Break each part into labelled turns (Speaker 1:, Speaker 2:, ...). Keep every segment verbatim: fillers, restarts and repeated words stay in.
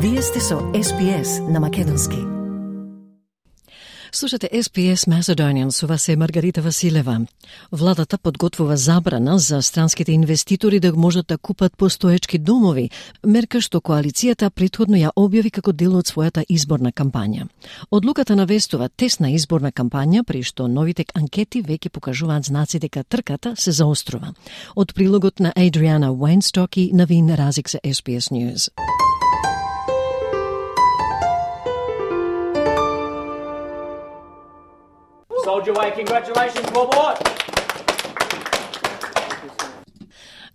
Speaker 1: Вие сте со Ес Би Ес на македонски. Слушате Ес Би Ес Macedonian, со вас е Маргарита Василева. Владата подготвува забрана за странските инвеститори да можат да купат постоечки домови, мерка што коалицијата претходно ја објави како дел од својата изборна кампања. Одлуката навестува тесна изборна кампања, при што новите анкети веќе покажуваат знаци дека трката се заострува. Од прилогот на Адриана Уейнсток и Навин Разик за Ес Би Ес News.
Speaker 2: Soldier way, congratulations, Bob.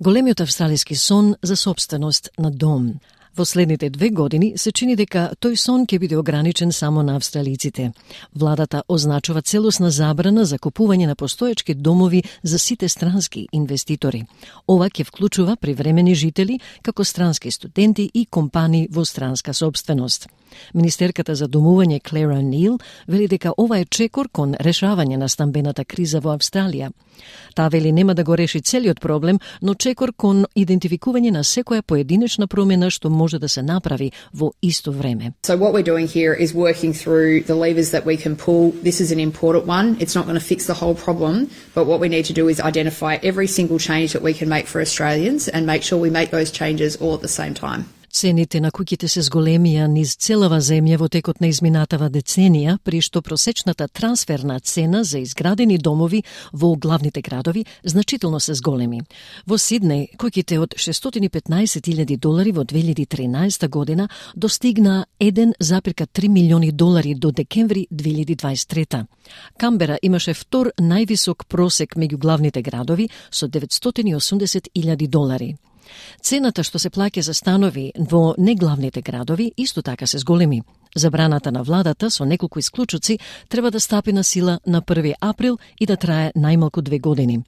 Speaker 1: Големиот австралиски сон за собственост на дом. Во следните две години се чини дека тој сон ќе биде ограничен само на австралиците. Владата означува целосна забрана за купување на постоечки домови за сите странски инвеститори. Ова ќе вклучува привремени жители, како странски студенти и компании во странска собственост. Министерката за домување Клер О'Нил вели дека ова е чекор кон решавање на стамбената криза во Австралија. Таа вели нема да го реши целиот проблем, но чекор кон идентификување на секоја поединечна промена што може да се направи во исто време.
Speaker 3: So what we're doing here is working through the levers that we can pull. This is an important one. It's not going to fix the whole problem, but what we need to do is identify every single change that we can make for Australians and make sure we make those changes all at the same time.
Speaker 1: Цените на куќите се зголемија низ целава земја во текот на изминатава деценија, при што просечната трансферна цена за изградени домови во главните градови значително се зголеми. Во Сиднеј, куќите од шестстотини и петнаесет илјади долари во две илјади и тринаесета година достигна еден зарез три милиони долари до декември две илјади дваесет и трета. Камбера имаше втор највисок просек меѓу главните градови со деветстотини и осумдесет илјади долари. Цената што се плаќа за станови во неглавните градови исто така се зголеми. Забраната на владата со неколку исклучоци треба да стапи на сила на први април и да трае најмалку две години.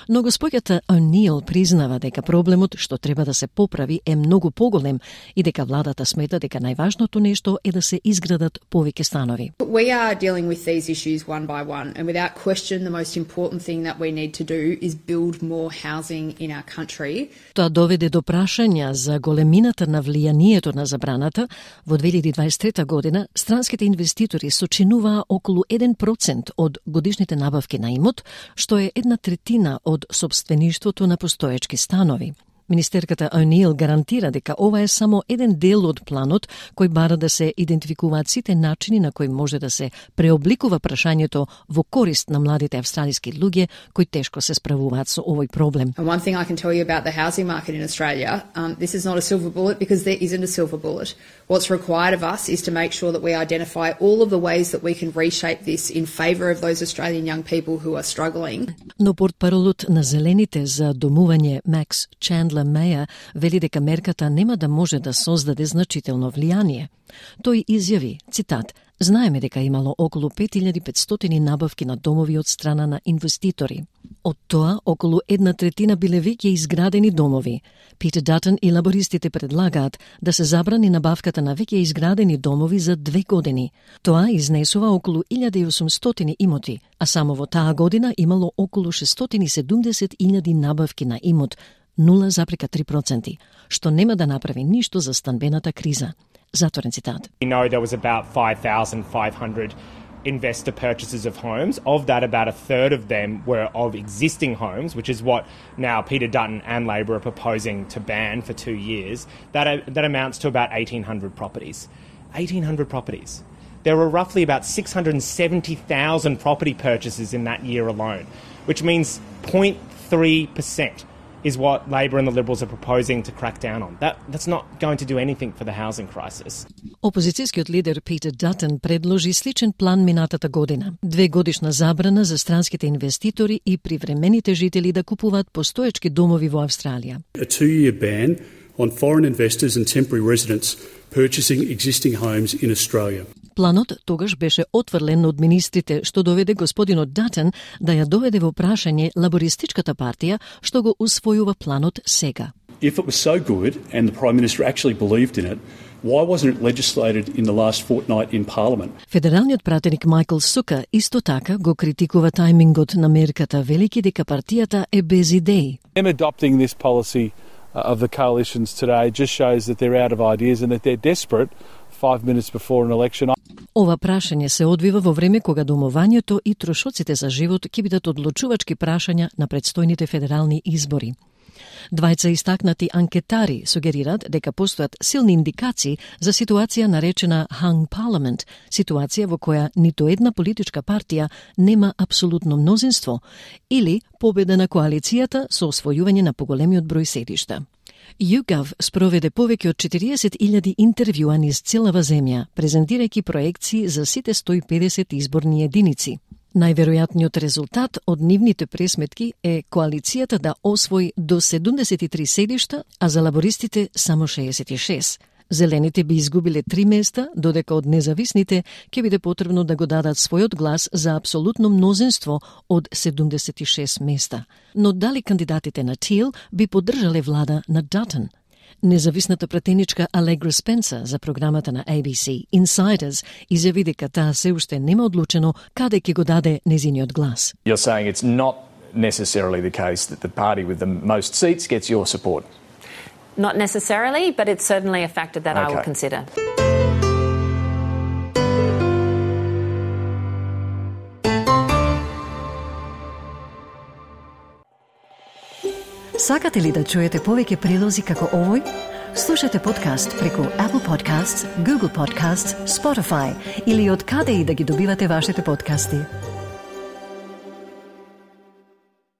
Speaker 1: Но господјата О'Нил признава дека проблемот што треба да се поправи е многу поголем и дека владата смета дека најважното нешто е да се изградат повеќе станови.
Speaker 3: We are dealing with these issues one by one, and without question the most important thing that we need to do is build more housing in our country.
Speaker 1: Тоа доведе до прашања за големината на влијанието на забраната. Во две илјади дваесет и трета година странските инвеститори сочинуваа околу еден процент од годишните набавки на имот, што е една третина од собствеништвото на постоечки станови. Министерката О'Нил гарантира дека ова е само еден дел од планот кој бара да се идентификуваат сите начини на кои може да се преобликува прашањето во корист на младите австралиски луѓе кои тешко се справуваат со овој проблем.
Speaker 3: And one thing I can tell you about the housing market in Australia, um, this is not a silver bullet because there isn't a silver bullet. What's required of us is to make sure that we identify all of the ways that we can reshape this in favour of those Australian young people who are struggling.
Speaker 1: Но портпаролот на Зелените за домување Макс Чандлер Меја вели дека мерката нема да може да создаде значително влијание. Тој изјави, цитат, знаеме дека имало околу пет илјади и петстотини набавки на домови од страна на инвеститори. Од тоа, околу една третина биле веќе изградени домови. Питер Датън и лабористите предлагаат да се забрани набавката на веќе изградени домови за две години. Тоа изнесува околу илјада и осумстотини имоти, а само во таа година имало околу шестстотини и седумдесет илјади набавки на имот, нула зарез три проценти, што нема да направи ништо за станбената криза. Затворен цитат.
Speaker 2: We know there was about five thousand five hundred investor purchases of homes. Of that, about a third of them were of existing homes, which is what now Peter Dutton and Labor are proposing to ban for two years. That, that amounts to about eighteen hundred properties. eighteen hundred properties. There were roughly about six hundred seventy thousand property purchases in that year alone, which means zero point three percent. Is what Labor and the Liberals are proposing to crack down on. That, that's not going to do anything for the housing crisis.
Speaker 1: Опозицијскиот лидер Питер Датън предложи сличен план минатата година. Две годишна забрана за странските инвеститори и привремените жители да купуваат постоечки домови во Австралија.
Speaker 4: A two-year ban on foreign investors and temporary residents purchasing existing homes in Australia.
Speaker 1: Планот тогаш беше отврлен од министрите, што доведе господинот Датън да ја доведе во прашање лабористичката партија, што го усвојува планот сега.
Speaker 4: If it was so good and the Prime Minister actually believed in it, why wasn't it legislated in the last fortnight in Parliament?
Speaker 1: Федералниот пратеник Майкл Сука исто така го критикува таймингот на мерката, велики дека партијата е без идеи.
Speaker 5: Them adopting this policy of the coalitions today just shows that they're out of ideas and that they're desperate five minutes before an election.
Speaker 1: Ова прашање се одвива во време кога домувањето и трошоците за живот ќе бидат одлучувачки прашања на предстојните федерални избори. Двајца истакнати анкетари сугерираат дека постојат силни индикации за ситуација наречена hung parliament, ситуација во која ниту една политичка партија нема апсолутно мнозинство или победа на коалицијата со освојување на поголемиот број седишта. YouGov спроведе повеќе од четириесет илјади интервјуа низ целава земја, презентирајќи проекции за сите сто и педесет изборни единици. Најверојатниот резултат од нивните пресметки е коалицијата да освои до седумдесет и три седишта, а за лабористите само шеесет и шест. Зелените би изгубиле три места, додека од независните ќе биде потребно да го дадат својот глас за апсолутно мнозинство од седумдесет и шест места. Но дали кандидатите на Тил би поддржале влада на Датон? Независната пратеничка Алегра Спенсер за програмата на A B C Insiders изјави дека таа се уште нема одлучено каде ќе го даде незиниот глас.
Speaker 6: You're saying it's not necessarily the case that the party with the most seats gets your support?
Speaker 7: Not necessarily, but it's certainly a factor that
Speaker 6: Okay.
Speaker 7: I will consider.
Speaker 1: Сакате ли да чуете повеќе прилози како овој? Слушате подкаст преку Apple Podcasts, Google Podcasts, Spotify или од каде и да ги добивате вашите подкасти.